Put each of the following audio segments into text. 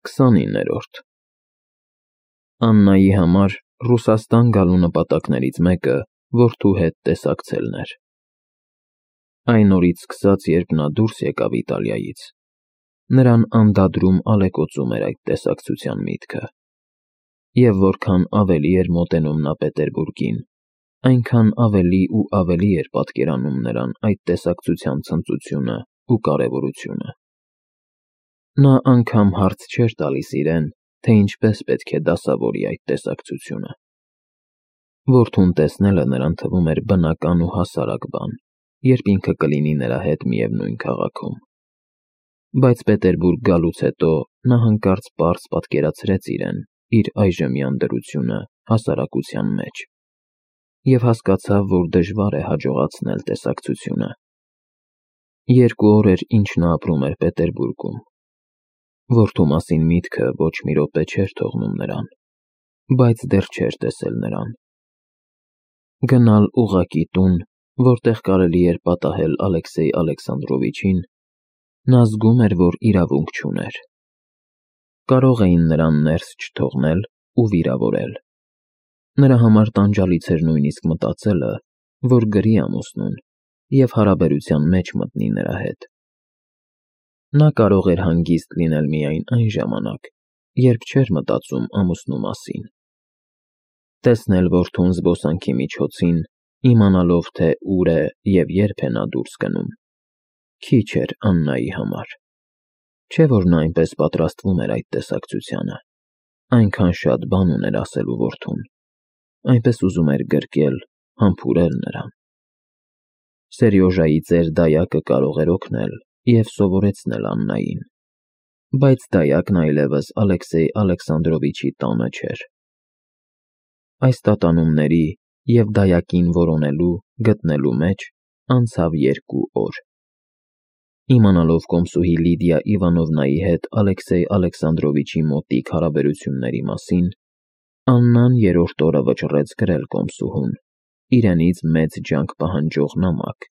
29-րդ Աննայի համար Ռուսաստան գալու նպատակներից մեկը որդու հետ տեսակցելն էր։ Այն օրից սկսած, երբ նա դուրս եկավ Իտալիայից, նրան անդադրում ալեկոծում էր այդ տեսակցության միտքը, և որքան ավելի էր մոտենում նա Պետերբուրգին, այնքան ավելի ու ավելի էր պատկերանում նրան այդ տեսակցության ցնծությունն ու կարևորությունը։ Նա անգամ հարց չէր տալիս իրեն, թե ինչպես պետք է դասավորի այդ տեսակցությունը։ Որդուն տեսնելը նրան թվում էր բնական ու հասարակ բան, երբ ինքը կլինի նրա հետ միևնույն քաղաքում։ Բայց Պետերբուրգ գալուց հետո նա հանկարծ պարզ պատկերացրեց իրեն իր այժմյան դրությունը հասարակության մեջ և հասկացավ, որ դժվար է հաջողացնել տեսակցությունը։ 2 օր էր, ինչ նա ապրում էր Պետերբուրգում։ Որդու մասին միտքը ոչ մի րոպե չէր թողնում նրան, բայց դեռ չէր տեսել նրան։ Գնալ ուղղակի տուն, որտեղ կարելի էր պատահել Ալեքսեյ Ալեքսանդրովիչին, նա զգում էր, որ իրավունք չուներ։ Կարող էին նրան ներս չթողնել ու վիրավորել։ Նրա համար տանջալից էր նույնիսկ մտածելը, որ գրի ամուսնուն և հարաբերության մեջ մտնի նրա հետ։ Նա կարող էր հանգիստ լինել միայն այն ժամանակ, երբ չէր մտածում ամուսնու մասին։ Տեսնել որդուն զբոսանքի միջոցին, իմանալով, թե ուր է և երբ է նա դուրս գնում, քիչ էր Աննայի համար։ Չէ՞ որ նա այնպես պատրաստվում էր այդ տեսակցությանը, այնքան շատ բան ուներ ասելու որդուն, այնպես ուզում էր գրկել, համբուրել նրան։ Սերյոժայի ծեր դայակը կարող էր օգնել և սովորեցնել Աննային, բայց դայակն այլևս Ալեքսեյ Ալեքսանդրովիչի տանը չէր։ Այս տատանումների և դայակին որոնելու, գտնելու մեջ անցավ 2 օր։ Իմանալով կոմսուհի Լիդիա Իվանովնայի հետ Ալեքսեյ Ալեքսանդրովիչի մոտիկ հարաբերությունների մասին, Աննան 3-րդ օրը վճռեց գրել կոմսուհուն իրենից մեծ ջանք պահանջող նամակ,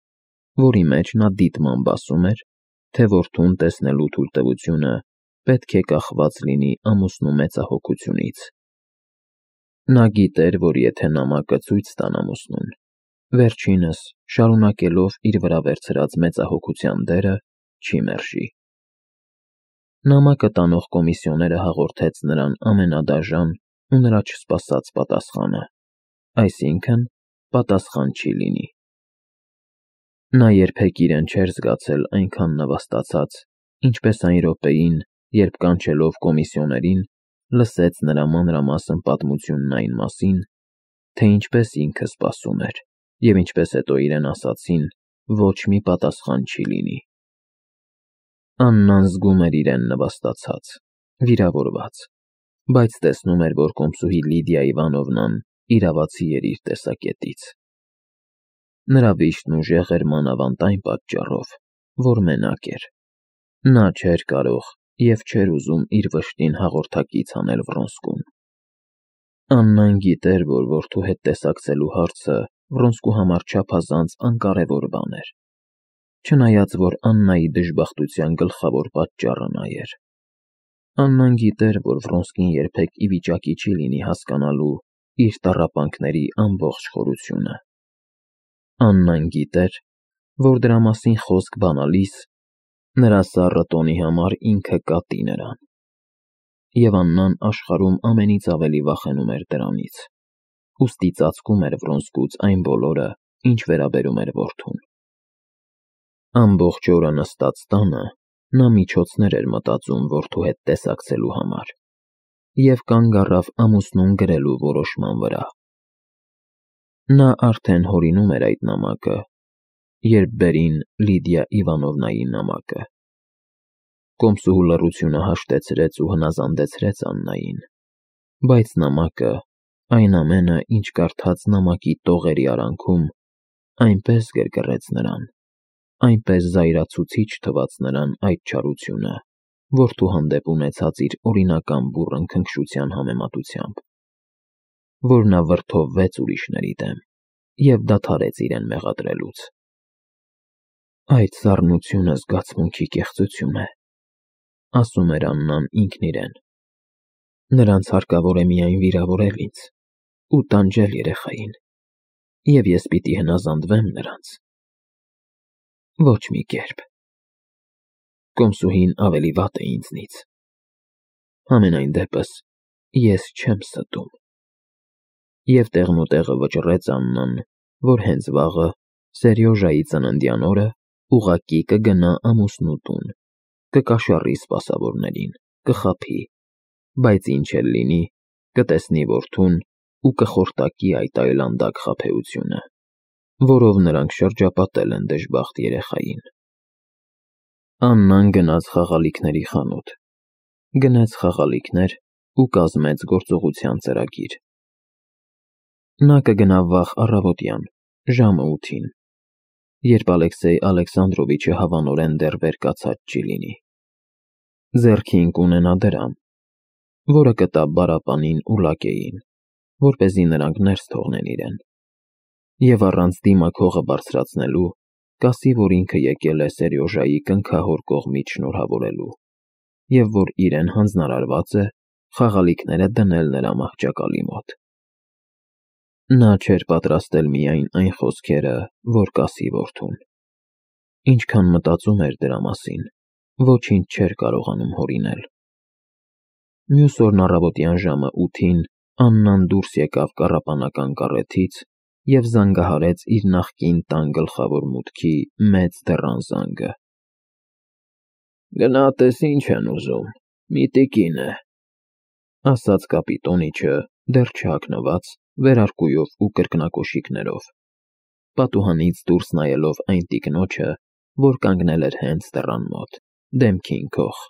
որի մեջ նա դիտմամբ ասում էր, թե որդուն տեսնելու թույլտվությունը պետք է կախված լինի ամուսնու մեծահոգությունից։ Նա գիտեր, որ եթե նամակը ցույց տան ամուսնուն, վերջինս, շարունակելով իր վրա վերցրած մեծահոգության դերը, չի մերժի։ Նամակը տանող կոմիսիոները հաղորդեց նրան ամենադաժան ու նրա չսպասած պատասխանը, այսինքն՝ պատասխան չի լինի։ Նա երբեք իրեն չէր զգացել այնքան նվաստացած, ինչպես այն րոպեին, երբ կանչելով կոմիսիոներին, լսեց նրա մանրամասն պատմությունն այն մասին, թե ինչպես ինքը սպասում էր, և ինչպես հետո իրեն ասացին, ոչ մի պատասխան չի լինի։ Աննան զգում էր իրեն նվաստացած, վիրավորված, բայց տեսնում էր, որ կոմսուհի Լիդիա Իվանովնան իրավացի էր իր տեսակետից։ Նրա վիշտն ուժեղ էր մանավանդ այն պատճառով, որ մենակ էր։ Նա չէր կարող և չէր ուզում իր վշտին հաղորդակից անել Վրոնսկուն։ Աննան գիտեր, որ որդու հետ տեսակցելու հարցը Վրոնսկու համար չափազանց անկարևոր բան էր, չնայած որ Աննայի դժբախտության գլխավոր պատճառը նա էր։ Աննան գիտեր, որ Վրոնսկին երբեք ի վիճակի չի լինի հասկանալու իր տառապանքների ամբողջ խորությունը։ Աննան գիտեր, որ դրա մասին խոսք բանալիս նրա սառը տոնի համար ինքը կատի նրան։ Եվ Աննան աշխարհում ամենից ավելի վախենում էր դրանից, ուստի ծածկում էր Վրոնսկուց այն բոլորը, ինչ վերաբերում էր որդուն։ Ամբողջ օրը նստած տանը, նա միջոցներ էր մտածում որդու հետ տեսակցելու համար և կանգ առավ ամուսնուն գրելու որոշման վրա։ Նա արդեն հորինում էր այդ նամակը, երբ բերին Լիդիա Իվանովնայի նամակը։ Կոմսուհու լռությունը հաշտեցրեց ու հնազանդեցրեց Աննային, բայց նամակը, այն ամենը, ինչ կարդաց նամակի տողերի արանքում, այնպես գրգռեց նրան, այնպես զայրացուցիչ թվաց նրան այդ չարությունը, որդու հանդեպ ունեցած իր օրինական բուռն քնքշության համեմատությամբ, որ նա վրդովվեց ուրիշների դեմ և դադարեց իրեն մեղադրելուց։ Այդ սառնությունը զգացմունքի կեղծություն է, ասում էր Աննան ինքն իրեն։ Նրանց հարկավոր է միայն վիրավորել ինձ ու տանջել երեխային, և ես պիտի հնազանդվեմ նրանց։ Ոչ մի կերպ։ Կոմսուհին ավելի վատ է ինձնից։ Համենայն դեպս, ես չեմ ստում։ Եվ տեղնուտեղը վճռեց Աննան, որ հենց վաղը, Սերյոժայի ծննդյան օրը, ուղղակի կգնա ամուսնու տուն, կկաշառի սպասավորներին, կխաբի, բայց ինչ էլ լինի, կտեսնի որդուն ու կխորտակի այդ այլանդակ խաբեությունը, որով նրանք շրջապատել են դժբախտ երեխային։ Աննան գնաց խաղալիքների խանութ, գնեց խաղալիքներ ու կազմեց գործողության ծրագիր։ Նա կգնա վաղ առավոտյան, ժամը 8-ին, երբ Ալեքսեյ Ալեքսանդրովիչը հավանորեն դեռ վեր կացած չի լինի։ Ձեռքին կունենա դրամ, որը կտա Բարապանին ու Լակեին, որպեսզի նրանք ներս թողնեն իրեն, և առանց դիմակ հողը բարձրացնելու, կասի, որ ինքը եկել է Սերյոժայի կնքահոր կողմից շնորհավորելու, և որ իրեն հանձնարարված է խաղալիքները դնել նրա մահճակալի մոտ։ Նա չէր պատրաստել միայն այն խոսքերը, որ կասի որդուն։ Ինչքան մտածում էր դրա մասին, ոչինչ չէր կարողանում հորինել։ Մյուս օրն առավոտյան ժամը 8-ին Աննան դուրս եկավ կառապանական կառեթից և զանգահարեց իր նախկին տան գլխավոր մուտքի մեծ դռան զանգը։ «Գնա տես ինչ են ուզում, մի տիկին է», ասաց կապիտոնիչը, դեռ չհագնված, վերարկուով ու կրկնակոշիկներով, պատուհանից դուրս նայելով այն տիկնոջը, որ կանգնել էր հենց դռան մոտ, դեմքին քող։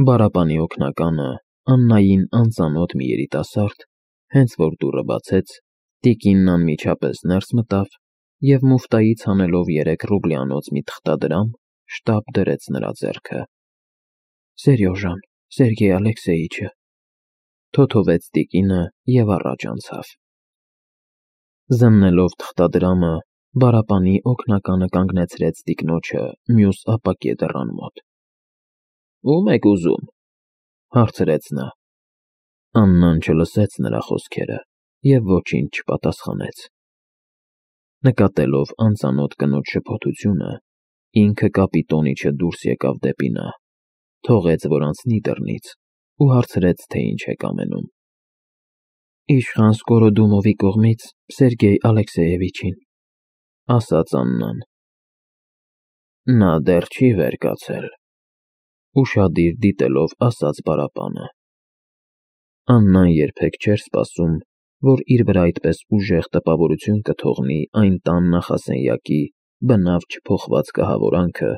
Բարապանի օգնականը, Աննային անծանոթ մի երիտասարդ, հենց որ դուռը բացեց, տիկինն անմիջապես ներս մտավ և մուֆտայից հանելով 3 ռուբլյանոց մի թղթադրամ, շտապ դրեց նրա ձեռքը։ «Սերյոժան, Սերգեյ Ալեքսեյիչը», թոթովեց տիկինը և առաջ անցավ։ Զննելով թղթադրամը, Բարապանի օգնականը կանգնեցրեց տիկնոջը մյուս ապակե դռան մոտ։ «Ո՞ւմ եք ուզում», հարցրեց նա։ Աննան չլսեց նրա խոսքերը և ոչինչ չպատասխանեց։ Նկատելով անծանոթ կնոջ շփոթությունը, ինքը կապիտոնիչը դուրս եկավ դեպի նա, թողեց, որ անցնի դռնից ու հարցրեց, թե ինչ է կամենում։ «Իշխան Սկորոդումովի կողմից Սերգեյ Ալեքսեյևիչին», ասաց Աննան։ «Նա դեռ չի վեր կացել», ուշադիր դիտելով ասաց Բարապանը։ Աննան երբեք չէր սպասում, որ իր վրա այդպես ուժեղ տպավորություն կթողնի այն տան նախասենյակի բնավ չփոխված կահավորանքը,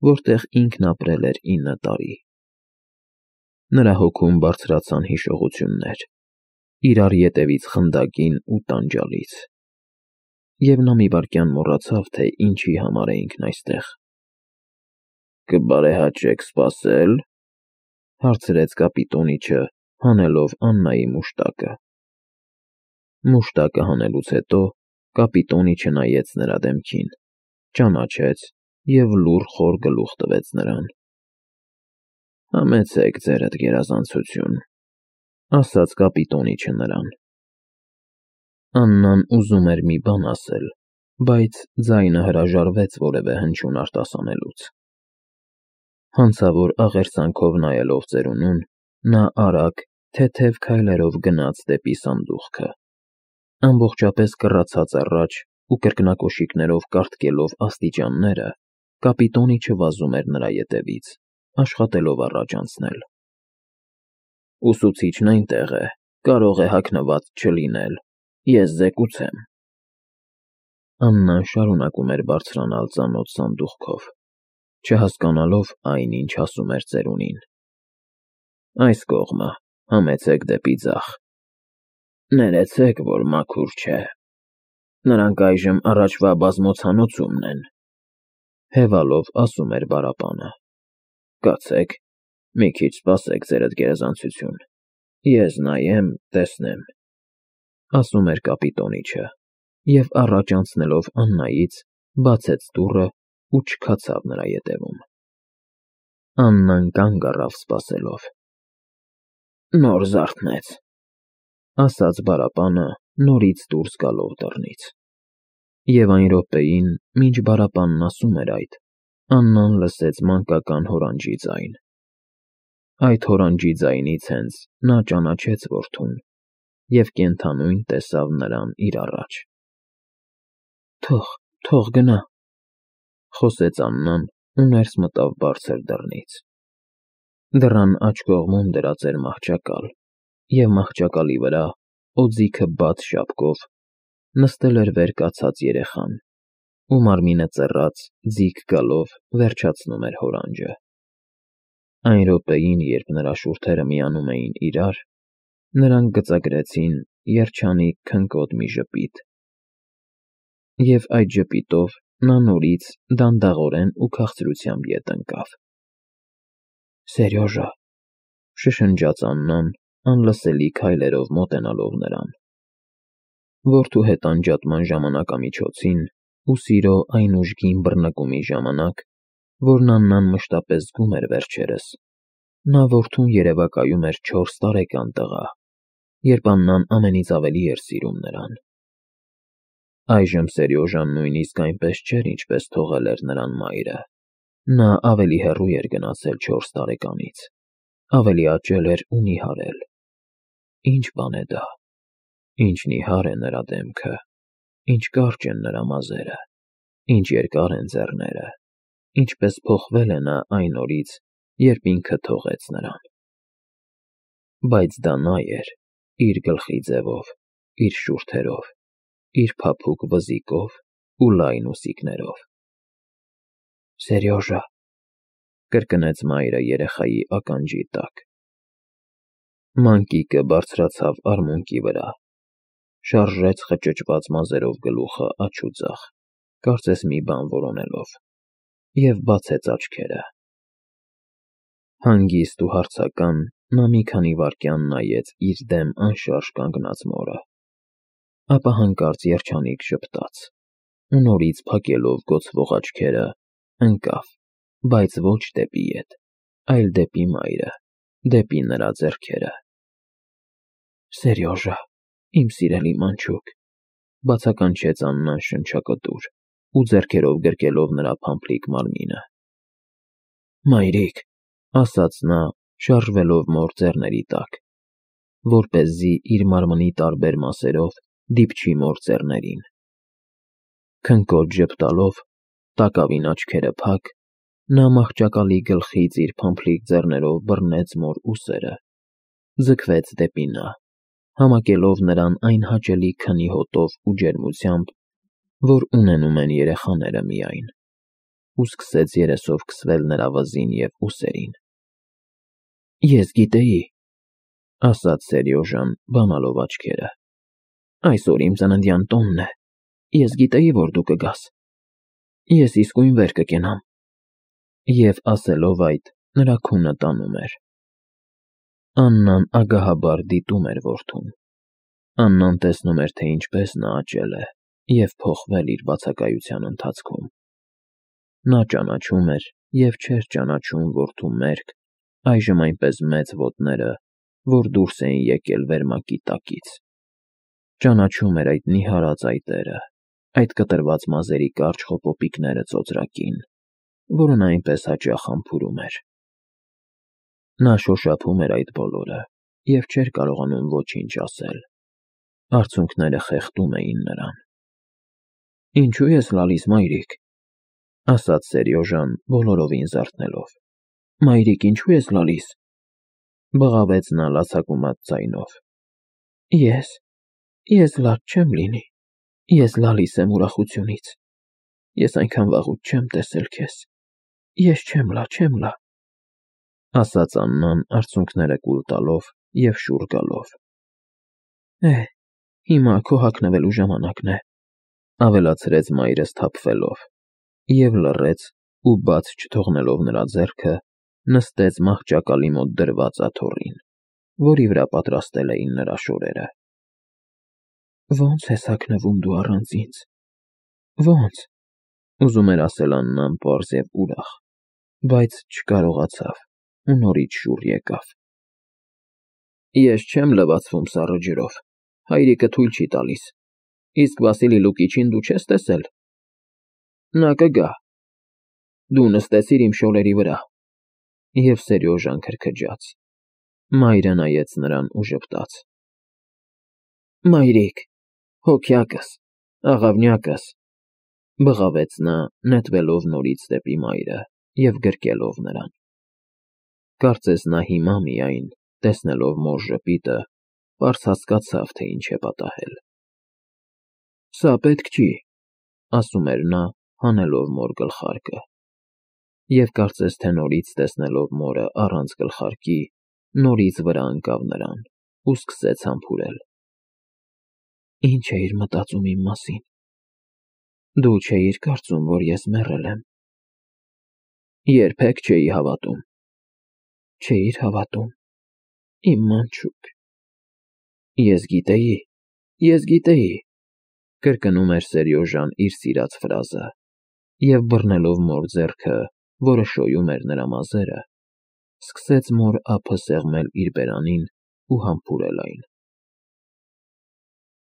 որտեղ ինքն ապրել էր 9 տարի։ Նրա հոգում բարձրացան հիշողություններ, իրար ետևից խնդակին ու տանջալից, և նա մի վայրկյան մոռացավ, թե ինչի համար է ինքն այստեղ։ «Կբարեհաճեք սպասել», հարցրեց կապիտոնիչը, հանելով Աննայի մուշտակը։ Մուշտակը հանելուց հետո կապիտոնիչը նայեց նրա դեմքին, ճանաչեց և լուռ խոր գլուխ տվեց նրան։ «Համեցեք ձերդ, գերազանցություն», ասաց կապիտոնիչը նրան։ Աննան ուզում էր մի բան ասել, բայց ձայնը հրաժարվեց որևէ հնչյուն արտասանելուց։ Հանցավոր աղերսանքով նայելով ծերունուն, նա արագ, թեթև քայլերով գնաց դեպի սանդուղքը։ Ամբողջապես կռացած առաջ ու կրկնակոշիկներով կառթկելով աստիճանները, կապիտոնիչը վազում էր նրա ետևից, աշխատելով առաջ անցնել։ «Ուսուցիչն այնտեղ է, կարող է հագնված չլինել, ես զեկուցեմ»։ Աննան շարունակում էր բարձրանալ ծանոթ սանդուղքով, չհասկանալով այն, ինչ ասում էր ծերունին։ «Այս կողմը, համեցեք դեպի ձախ։ Ներեցեք, որ մաքուր չէ։ Նրանք այժմ առաջվա բազմոցանոցումն են», հևալով ասում էր Բարապանը։ «Կացեք, մի քիչ սպասեք, ձերդ գերազանցություն, ես նայեմ, տեսնեմ», ասում էր կապիտոնիչը, և առաջ անցնելով Աննայից, բացեց դուռը ու չքացավ նրա ետևում։ Աննան կանգ առավ սպասելով։ Նոր զարթնեց, ասաց բարապանը նորից դուրս գալով դռնից։ Եվ այն րոպեին, մինչ բարապանն ասում էր այդ, Աննան լսեց մանկական հորանջի ձայն։ Այդ հորանջի ձայնից հենց նա ճանաչեց որդուն և կենդանույն տեսավ նրան իր առաջ։ Թող գնա, խոսեց Աննան ու ներս մտավ բարձր դռնից։ Դռան աջ կողմում դրած էր մահճակալ, և մահճակալի վրա, օձիքը բաց շապկով, նստել էր վեր կացած երեխան, ու մարմինը ծեռած ձիգ գալով վերջացնում էր հորանջը։ Այն րոպեին, երբ նրա շուրթերը միանում էին իրար, նրանք գծագրեցին երջանիկ քնկոտ մի ժպիտ։ Եվ այդ ժպիտով նա նորից դանդաղորեն ու քաղցրությամբ ետ ընկավ։ Սերյոժա, շշնջաց Աննան, անլսելի քայլերով մոտենալով նրան։ Որդու հետ անջատման ժամանակամիջոցին ու սիրո այն ուժգին բռնկումի ժամանակ, որն Աննան մշտապես զգում էր վերջերս, նա որդուն երևակայում էր 4 տարեկան տղա, երբ Աննան ամենից ավելի էր սիրում նրան։ Այժմ Սերյոժան նույնիսկ այնպես չէր, ինչպես թողել էր նրան մայրը։ Նա ավելի հեռու էր գնացել 4 տարեկանից, ավելի աճել էր ու նիհարել։ Ինչ բան է դա, ինչ նիհար է նրա դեմքը, ինչ կարճ են նրա մազերը, ինչ երկար են ձեռները, ինչպես փոխվել է նա այն օրից, երբ ինքը թողեց նրան։ Բայց դա նա էր, իր գլխի ձևով, իր շուրթերով, իր փափուկ վզիկով ու լայն ուսիկներով։ Սերյոժա, կրկնեց մայրը երեխայի ականջի տակ։ Մանկիկը բարձրացավ արմունկի վրա, շարժեց խճճված մազերով գլուխը աջ ու ձախ, կարծես մի բան որոնելով, և բացեց աչքերը։ Հանգիստ ու հարցական նա մի քանի վայրկյան նայեց իր դեմ անշարժ կանգնած մորը, ապա հանկարծ երջանիկ ժպտաց ու նորից փակելով գոցվող աչքերը, ընկավ, բայց ոչ դեպի ետ, այլ դեպի մայրը, դեպի նրա ձեռքերը։ Սերյոժա, իմ սիրելի մանչուկ, բացականչեց Աննան շնչակտուր ու ձեռքերով գրկելով նրա փամփլիկ մարմինը։ Մայրիկ, ասաց նա, շարժվելով մոր ձեռների տակ, որպեսզի իր մարմնի տարբեր մասերով դիպչի մոր ձեռներին։ Քնկոտ ժպտալով, տակավին աչքերը փակ, նա մահճակալի գլխից իր փամփլիկ ձեռներով բռնեց մոր ուսերը, ձգվեց դեպի նա, համակելով նրան այն հաճելի քնի հոտով ու ջերմությամբ, որ ունենում են երեխաները միայն, ու սկսեց երեսով քսվել նրա վզին և ուսերին։ Ես գիտեի, ասաց Սերյոժան, բանալով աչքերը։ Այսօր իմ ծննդյան տոնն է, ես գիտեի, որ դու կգաս։ Ես իսկույն վեր կկենամ։ Եվ ասելով այդ, նրա քունը տանում էր։ Աննան ագահաբար դիտում էր որդուն։ Աննան տեսնում էր, թե ինչպես նա աճել է և փոխվել իր բացակայության ընթացքում։ Նա ճանաչում էր և չէր ճանաչում որդու մերկ, այժմ այնպես մեծ ոտները, որ դուրս էին եկել վերմակի տակից։ Ճանաչում էր այդ նիհարած այտերը, այդ կտրված մազերի կարճ խոպոպիկները ծոծրակին, որը նա այնպես հաճախ համբուրում էր։ Նա շոշափում էր այդ բոլորը և չէր կարողանում ոչինչ ասել։ Արցունքները խեղդում էին նրան։ Ինչու ես լալիս, մայրիկ, ասաց Սերյոժան, բոլորովին զարթնելով։ Մայրիկ, ինչու ես լալիս, բղավեց նա լացակումած ձայնով։ Ես լաց չեմ լինի, ես լալիս եմ ուրախությունից։ Ես այնքան վաղուց չեմ տեսել քեզ։ Ես չեմ լա, ասաց Աննան արցունքները կուլ տալով և շուռ գալով։ Հիմա քո հագնվելու ժամանակն է, ավելացրեց մայրը սթափվելով, և լռեց ու բաց չթողնելով նրա ձեռքը, նստեց մահճակալի մոտ դրված աթոռին, որի վրա պատրաստել էին նրա շորերը։ Ո՞նց ես հագնվում դու առանց ինձ, ո՞նց, ուզում էր ասել Աննան պարզ և ուրախ, բայց չկարողացավ ու նորից շուռ եկավ։ Ես չեմ լվացվում սառը ջրով, հայրիկը թույլ չի տալիս, իսկ Վասիլի Լուկիչին դու չես տեսել։ Նա կգա։ Դու նստեցիր իմ շորերի վրա։ Եվ Սերյոժան քրքջաց։ Մայրը նայեց նրան ու ժպտաց. Մայրիկ, հոգյակս, աղավնյակս, բղավեց նա, նետվելով նորից դեպի մայրը և գրկելով նրան։ Կարծես նա հիմա միայն, տեսնելով մոր ժպիտը, պարզ հասկացավ, թե ինչ է պատահել։ Սա պետք չի, ասում էր նա, հանելով մոր գլխարկը։ Եվ կարծես թե նորից տեսնելով մորը առանց գլխարկի, նորից վրա ընկավ նրան ու սկսեց համբուրել։ Ինչ էիր մտածում իմ մասին։ Դու չէիր կարծում, որ ես մեռել եմ։ Երբեք չէի հավատում։ Չէիր հավատում, իմ մանչուկ։ Ես գիտեի, կրկնում էր Սերյոժան իր սիրած ֆրազը, և բռնելով մոր ձեռքը, որը շոյում էր նրա մազերը, սկսեց մոր ափը սեղմել իր բերանին ու համբուրել այն։